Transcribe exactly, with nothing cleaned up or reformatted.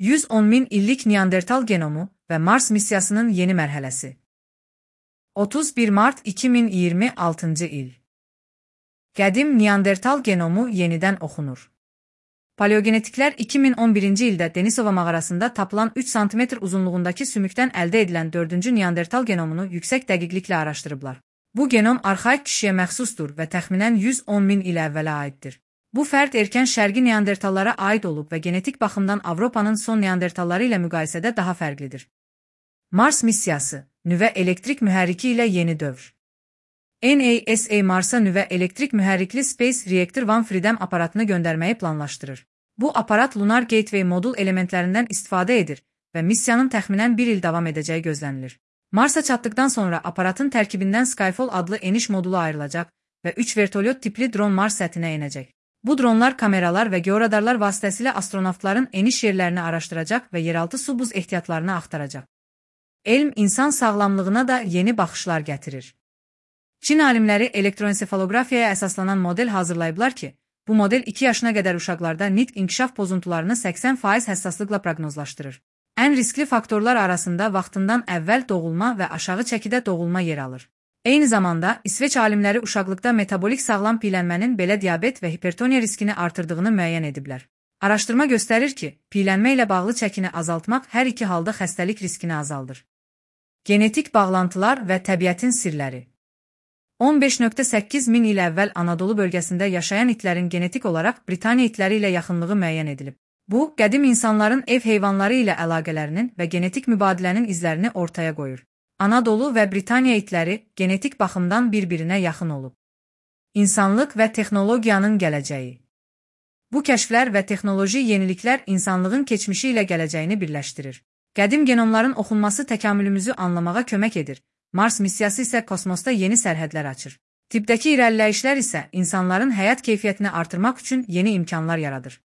yüz on min illik Neandertal genomu və Mars missiyasının yeni mərhələsi. otuz bir mart iki min iyirmi altıncı il. Qədim Neandertal genomu yenidən oxunur. Paleogenetiklər iki min on birinci ildə Denisova mağarasında tapılan üç santimetr uzunluğundakı sümükdən əldə edilən dördüncü Neandertal genomunu yüksək dəqiqliklə araşdırıblar. Bu genom arxaik kişiyə məxsusdur və təxminən yüz on min il əvvələ aiddir. Bu fərd erkən şərqi Neandertallara aid olub və genetik baxımdan Avropanın son Neandertalları ilə müqayisədə daha fərqlidir. Mars missiyası, nüvə elektrik mühərriki ilə yeni dövr. NASA Marsa nüvə elektrik mühərrikli Space Reactor One Freedom aparatını göndərməyi planlaşdırır. Bu aparat Lunar Gateway modul elementlərindən istifadə edir və missiyanın təxminən bir il davam edəcəyi gözlənilir. Marsa çatdıqdan sonra aparatın tərkibindən Skyfall adlı eniş modulu ayrılacaq və üç vertolyot tipli dron Mars səthinə enəcək. Bu dronlar kameralar və georadarlar vasitəsilə astronavtların eniş yerlərini araşdıracaq və yeraltı su buz ehtiyatlarını axtaracaq. Elm insan sağlamlığına da yeni baxışlar gətirir. Çin alimləri elektroensefalografiyaya əsaslanan model hazırlayıblar ki, bu model iki yaşına qədər uşaqlarda nitq inkişaf pozuntularını səksən faiz həssaslıqla proqnozlaşdırır. Ən riskli faktorlar arasında vaxtından əvvəl doğulma və aşağı çəkidə doğulma yer alır. Eyni zamanda, İsveç alimləri uşaqlıqda metabolik sağlam piylənmənin belə diabet və hipertoniya riskini artırdığını müəyyən ediblər. Araşdırma göstərir ki, piylənmə ilə bağlı çəkini azaltmaq hər iki halda xəstəlik riskini azaldır. Genetik bağlantılar və təbiətin sirləri. on beş nöqtə səkkiz min il əvvəl Anadolu bölgəsində yaşayan itlərin genetik olaraq Britaniya itləri ilə yaxınlığı müəyyən edilib. Bu, qədim insanların ev heyvanları ilə əlaqələrinin və genetik mübadilənin izlərini ortaya qoyur. Anadolu və Britaniya itləri genetik baxımdan bir-birinə yaxın olub. İnsanlıq və texnologiyanın gələcəyi. Bu kəşflər və texnoloji yeniliklər insanlığın keçmişi ilə gələcəyini birləşdirir. Qədim genomların oxunması təkamülümüzü anlamağa kömək edir. Mars missiyası isə kosmosda yeni sərhədlər açır. Tibbdəki irəliləyişlər isə insanların həyat keyfiyyətini artırmaq üçün yeni imkanlar yaradır.